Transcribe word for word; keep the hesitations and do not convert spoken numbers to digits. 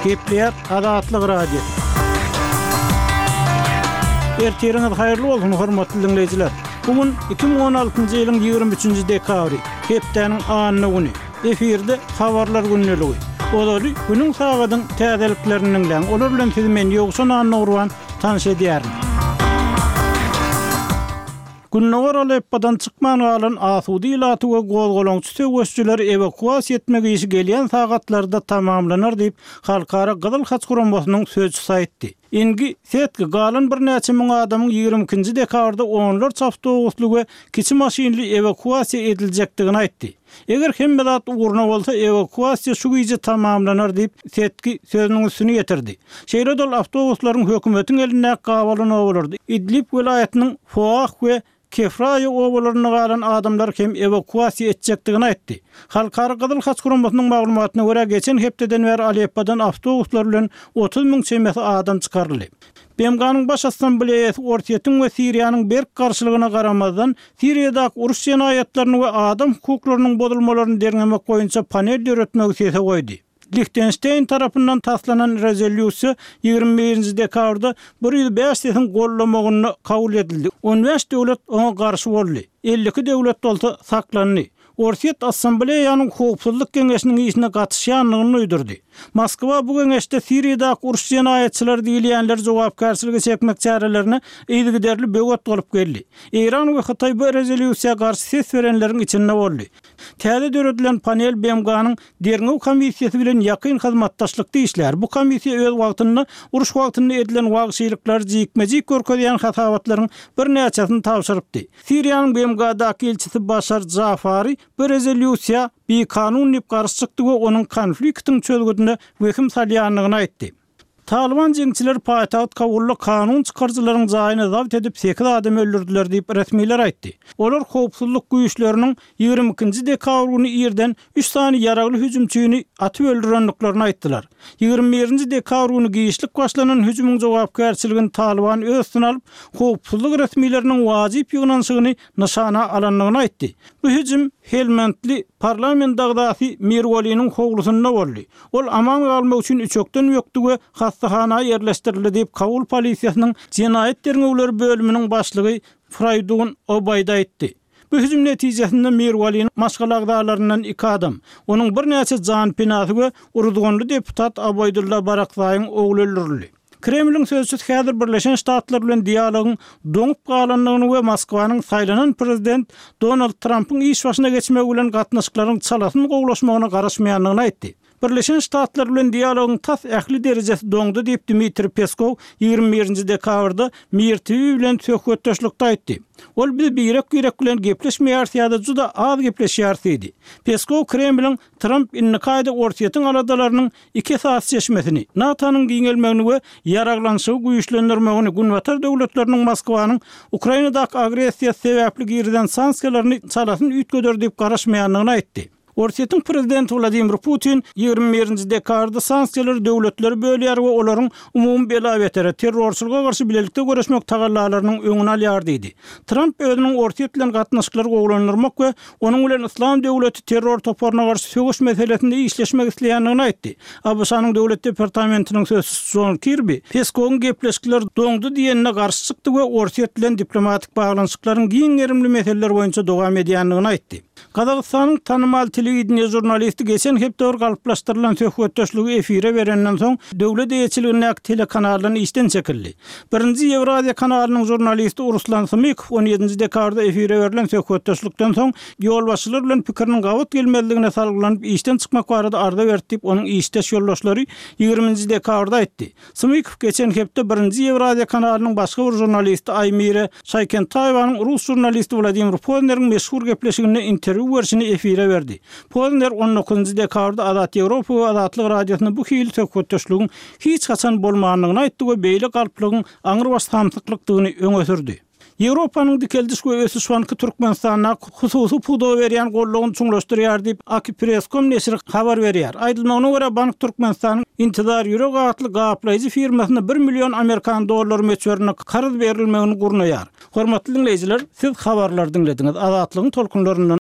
Gepleýär Azatlyk Radiosy. Ertiriňiz haýyrly bolsun, hormatly diňleýjiler. Bu gün iki müň on altynjy ýylyň ýigrimi üçünji dekabry, hepdäniň anna güni. Efirde habarlar gündeligi. Ozaly günüň sagadyň täzeliklerini diňläň. Olar bilen sizi men Ýowşan Annagurban tanyş edýärin. Gündogar Aleppodan çykman galan asuda ilaty we gozgalaňçy söweşçileri ewakuasiýa etmek işi gelýän sagatlarda tamamlanar diýip, Halkara Gyzyl Haç guramasynyň sözçüsi aýtdy. Ingi Setki galan birnäçe müň adamyň ýigrimi ikinji dekabrda onlarça awtobusly we kiçi maşynly ewakuasiýa ediljekdigini aýtdy. Eger hemme zat ugruna bolsa, ewakuasiýa şu gije tamamlanar diýip, Setki sözüniň üstüni ýetirdi. Şeýle-de ol awtobuslaryň hökümetiň elindäki gabalan obalarda, Idlib welaýatynyň Foah we Kefraýa obalarynda galan adamlary hem ewakuasiýa etjekdigini aýtdy. Halkara Gyzyl Haç guramasynyň maglumatyna görä, geçen hepdeden bäri Aleppodan awtobuslar bilen otuz müň çemesi adam çykaryldy. B M G-nyň Baş Assambleýasy Orsýetiň we Siriýanyň berk garşylygyna garamazdan, Siriýadaky uruş jenaýatlaryny we adam hukuklarynyň bozulmalaryny derňemek boýunça panel döretmegi sese goýdy. Lihtenşteýn tarapyndan taslanan rezolýusiýa ýigrimi birinji dekabrda bir ýüz bäş sesiň gollamagynda kabul edildi. On bäş döwlet oňa garşy boldy. Elli iki döwlet bolsa saklandy. Orsýet Assambleýanyň Howpsuzlyk Geňeşiniň işine gatyşýandygyny duýdurdy. Moskwa bu geňeşde Siriýadaky uruş jenaýatçylary diýilýänleri jogapkärçilige çekmek çärelerine yzygiderli böwet bolup geldi. Eýran we Hytaý bu rezolýusiýa garşy ses berenleriň içinde boldy. Täze döredilen panel B M G-nyň derňew komissiýasy bilen ýakyn hyzmatdaşlykda işlär. Bu komissiýa öz wagtynda uruş wagtynda edilen wagşylyklary jikme-jik görkezýän hasabatlaryň birnäçesini tabşyrypdy. Siriýanyň B M G-daky ilçisi Başar Jafari bu rezolýusiýa bikanun diýip garşy çykdy we onuň konfliktiň çözgüdine wehim salýandygyny aýtdy. Talyban jeňçileri paýtagt Kabulda kanun çykaryjylaryň jaýyny zabt edip sekiz adam öldürdüler diýip resmiler aýtdy. Olar howpsuzlyk güýçleriniň ýigrimi ikinji dekabr güni irden üç sany ýaragly hüjümçini atyp öldürendiklerini aýtdylar. Ýigrimi birinji dekabr güni giçlik başlanan hüjümiň jogapkärçiligini Talyban öz üstüne alyp, howpsuzlyk resmileriniň wajyp ýygnanyşygyny nyşana alandygyny aýtdy. Bu hüjüm Helmandly parlament agzasy Mirwaliniň howlusynda boldy. Ol aman galmak üçin üçekden ökdi we hastahana ýerleşdirildi diýip Kabul polisiýasynyň jenaýat derňewleri bölüminiň başlygy Fraýdun Obaýda aýtdy. Bu hüjüm netijesinde Mirwaliniň maşgala agzalaryndan iki adam, onuň birnäçe janpenasy we uruzganly deputat Abaýdulla Barakzaýyň ogly öldürildi. Kremliň sözçüsi häzir Birleşen Ştatlar bilen dialogyň doňup galandygyny we Moskwanyň saýlanan prezident Donald Trampyň iş başyna geçmegi bilen gatnaşyklaryň çalasyn gowulaşmagyna garaşmaýandygyny aýtdy. Birleşen Ştatlar bilen dialogyň tas ähli derejesi doňdy diýip Dmitriý Peskow ýigrimi birinji dekabrda Mir T V bilen söhbetdeşlikde aýtdy. Ol biz birek-birek bilen gepleşmeýäris ýa-da juda az gepleşýäris diýdi. Peskow Kremliň Tramp indiki aýda Orsýetiň aladalarynyň iki esasy çeşmesini, NATO-nyň giňelmegini we ýaraglanyşygy güýçlendirmegini, Günbatar döwletleriniň Moskwanyň Ukrainadaky agressiýasy sebäpli girizen sanksiýalaryny çalasyn üýtgeder diýip garaşmaýandygyny aýtdy. Orsýetiň prezidenti Wladimir Putin ýigrimi birinji dekabrda sanksiýalary döwletleri bölýär we olaryň umumy bela-betere, terrorçylyga garşy bilelikde göreşmek tagallalarynyň öňüni alýar diýdi. Tramp özüniň Orsýet bilen gatnaşyklary gowulandyrmak we onuň bilen Yslam döwleti terror toparyna garşy söweş meselesinde işleşmek isleýändigini aýtdy. A B Ş-nyň Döwlet departamentiniň sözçüsi John Kirby Peskowyň gepleşikler doňdy diýenine garşy çykdy we Orsýet bilen diplomatik baglanyşyklaryň giň gerimli meseleler boýunça dowam edýändigini aýtdy. Gazagystanyň tanymal telewideniýe žurnalisti geçen hepde bir galyplaşdyrylan söhbetdeşligi efire berenden soň döwlet eýeçiligindäki telekanaldan işden çekildi. Birinji Ýewraziýa kanalynyň žurnalisti Ruslan Smykow on ýedinji dekabrda efire berlen söhbetdeşlikden soň ýolbaşçylar bilen pikiriniň gabat gelmezligine salgylanyp işden çykmak barada arza berdi diýip onuň işdeş ýoldaşlary ýigriminji dekabrda aýtdy. Smykow geçen hepde birinji Ýewraziýa kanalynyň başga bir žurnalisti Aýmire Şaýkentaýewanyň rus žurnalisti Wladimir Pozneriň meşhur gepleşiginde interwýu berşini efire berdi. Pozner on dokuzynjy dekabrda Azat Ýewropa we Azatlyk radiosynda bu hili söhbetdeşligiň hiç haçan bolmandygyny aýtdy we beýle galplygyň aňrybaş samsyklykdygyny öňe sürdi. Ýewropanyň Dikeldiş we Ösüş Banky Türkmenistanda hususy pudaga berýän goldawyny çuňlaşdyrýar diýip Akipress nokta com neşiri habar berýär. Aýdylmagyna görä bank Türkmenistanyň Intizar Ýürek atly gaplaýjy firmasyna bir million amerikan dollary möçberinde karz berilmegini gurnaýar. Hormatly dinleýjiler, siz habarlar diňlediňiz. Azatlygyň tolkunlaryndan